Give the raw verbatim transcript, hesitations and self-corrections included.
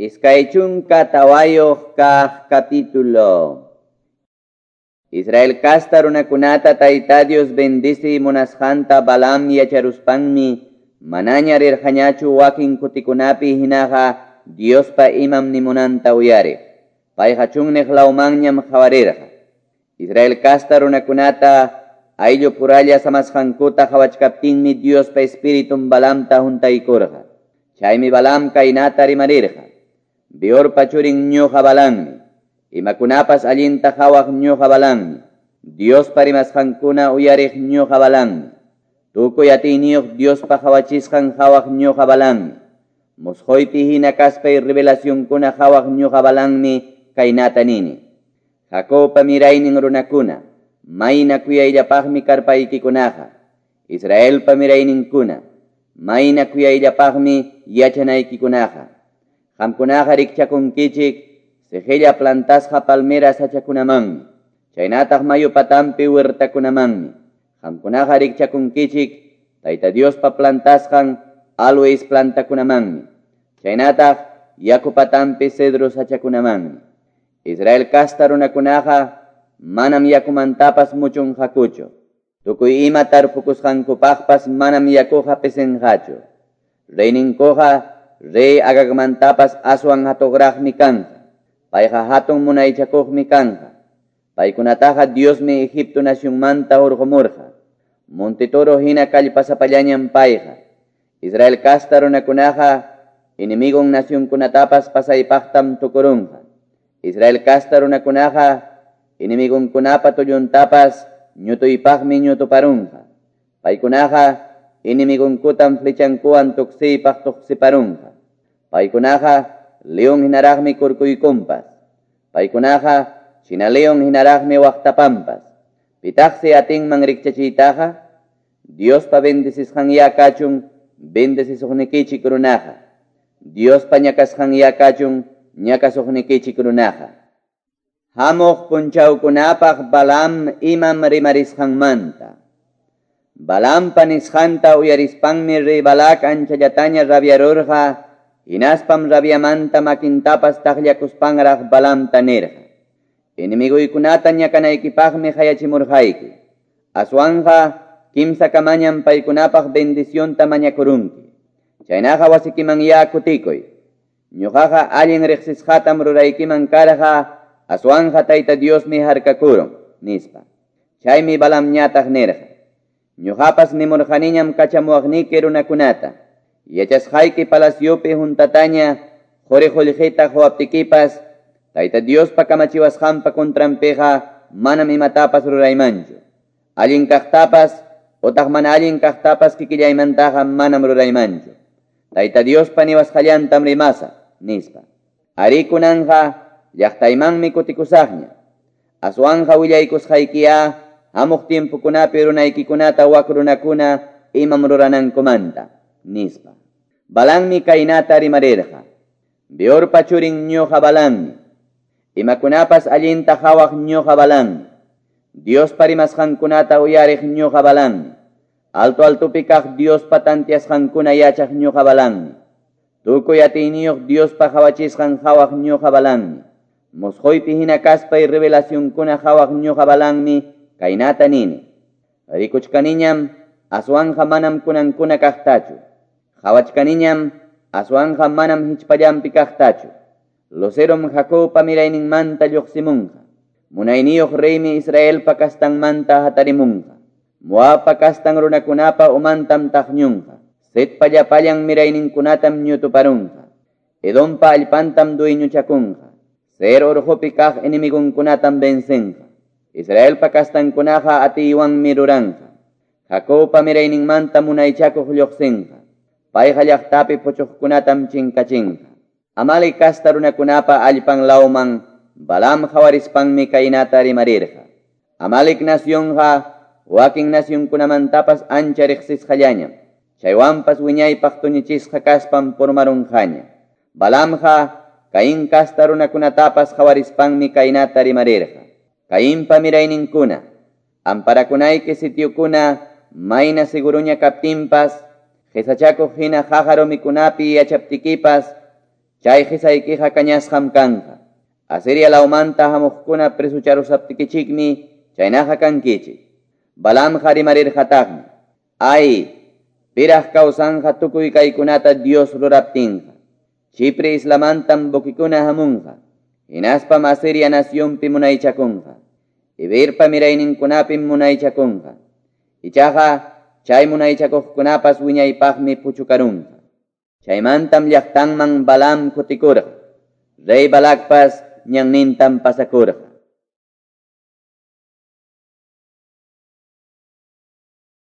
Iskay chunka tawayuq kaq capítulo. Israel kasta runakunata Tayta Dios bendisi munasqanta Balaam yacharuspanmi manaña rirqañachu wakin kutikunapi hinaqa Diospa imam nimunanta uyariq. Payqa chunniq lawmanñam qhawarirqa. Israel kasta runakunata ayllu puralla samasqankuta qhawachkaptinmi Diospa espiritun Balaamta huntaykurqa. Chaymi Balaam kaynata rimarirqa. Beorpa churin ñuqa Balaammi, imakunapas allinta qhawaq ñuqa Balaammi, Diospa rimasqankuna uyariq ñuqa Balaammi, tukuy atiyniyuq Diospa qhawachisqan qhawaq ñuqa Balaammi, musquypi hina kaspay revelacionkuna qhawaq ñuqa Balaammi kaynata nini. Jacobpa miraynin runakuna, mayna kuyayllapaqmi karpaykikunaqa, Israelpa mirayninkuna, mayna kuyayllapaqmi yachanaykikunaqa. Qamkunaqa rikchakunkichik sijilla plantasqa palmera sachakunamanmi, chaynataq mayu patampi huertakunamanmi. Qamkunaqa rikchakunkichik Tayta Diospa plantasqan aloes plantakunamanmi, chaynataq yaku patampi cedro sachakunamanmi. Israel kasta runakunaqa manam yakumantapas muchunqakuchu. Tukuy ima tarpukusqankupaqpas manam yakuqa pisinqachu. Reyninkuqa rey Agagmantapas aswan hatuqraqmi kanqa. Payqa hatun munaychakuqmi kanqa. Paykunataqa Diosmi Egipto nacionmanta hurqumurqa. Monte toro hina kallpasapallañam payqa. Israel kasta runakunaqa enemigon nacionkunatapas pasaypaqtam tukurunqa. Israel kasta runakunaqa enemigonkunapa tulluntapas ñutuypaqmi ñutuparunqa. Paykunaqa enemigonkutam flechankuwan tuksiypaq tuksiparunqa. Paykunaqa león hinaraqmi kurkuykunpas. Paykunaqa china león hinaraqmi waqtapanpas. Pitaqsi atinman rikchachiytaqa, Diospa bendisisqanya kachun bendisisuqnikichik runaqa. Diospa ñakasqanya kachun ñakasuqnikichik runaqa. Hamuq punchawkunapaq Balaam imam rimarisqanmanta. Balaampa nisqanta uyarispanmi rey Balac anchallataña rabiarurqa, hinaspam rabiamanta makintapas taqllakuspanraq Balaamta nirqa. Enemiguykunata ñakanaykipaqmi hayachimurqayki. Aswanja kimsa kamañam paykunapaq bendicionta mañakurunki. Chaynaqa wasikimanyá kutikuy. Ñuqaqa allin riqsisqatam ruraykiman karqa, aswanja Tayta Diosmi harkakurun, nispa. Chaymi Balaamñataq nirqa. Ñuqapas nimurqaniñam kachamuwaqniki runakunata. Yachasqayki palaciopi juntataña quri qullqita quwaptikipas, Tayta Diospa kamachiwasqanpa contranpiqa manam imatapas ruraymanchu. Allin kaqtapas utaq mana allin kaqtapas kikillaymantaqa manam ruraymanchu. Tayta Diospa niwasqallantam rimasa, nispa. Ari kunanja llaqtaymanmi kutikusaqña. Aswanja willaykusqaykiya hamuq tiempokunapi runaykikunata wak runakuna imam ruranankumanta, nispa. Balaammi kaynata rimarirqa. Beorpa churin ñuqa Balaammi, imakunapas allinta qhawaq ñuqa Balaammi, Diospa rimasqankunata uyariq ñuqa Balaammi, alto altopi kaq Diospa tantiasqankuna yachaq ñuqa Balaammi, tukuy atiyniyuq Diospa qhawachisqan qhawaq ñuqa Balaammi, musquypi hina kaspay revelacionkuna qhawaq ñuqa Balaammi kaynata nini. Rikuchkaniñam aswanja manam kunankuna kaqtachu. Qhawachkaniñam aswanja manam hichpallampi kaqtachu. Lucerom Jacobpa mirayninmanta lluqsimunqa. Munayniyuq reymi Israelpa kastanmanta hatarimunqa. Moabpa kastan runakunapa umantam taqñunqa. Setpa llapallan mirayninkunatam ñutuparunqa. Edompa allpantam dueñuchakunqa. Seir urqupi kaq enemigonkunatam vencenqa. Israelpa kastankunaqa atiywanmi ruranqa. Jacobpa mirayninmanta munaychakuq lluqsinqa. Payqa llaqtapi puchuqkunatam chinkachinqa. Amalek kasta runakunapa allpan lawman Balaam qhawarispanmi kaynata rimarirqa. Amalek nacionqa wakin nacionkunamantapas ancha riqsisqallañam. Chaywanpas wiñaypaq tuñichisqa kaspam purmarunqaña. Balaamqa Caín kasta runakunatapas qhawarispanmi kaynata rimarirqa. Caínpa mirayninkuna, amparakunayki sitiokuna mayna seguruña kaptinpas, qhisachakuq hina qaqa rumikunapi yachaptikipas, Chay qisaykiqa kañasqam kanqa. Asiria lawmanta hamuqkuna presucharusaptikichikmi chaynaqa kankichik. Balaamqa rimarirqataqmi. Ay, piraq kawsanqa tukuy kaykunata Dios ruraptinqa. Chipre islamantam buquekuna hamunqa. Hinaspam Asiria nacionpi munaychakunqa. Heberpa mirayninkunapim munaychakunqa. Ichaqa chay munaychakuqkunapas wiñaypaqmi puchukarunqa. Chaymantam llaqtanman Balaam kutikurqa. Rey Balacpas ñannintam pasakurqa.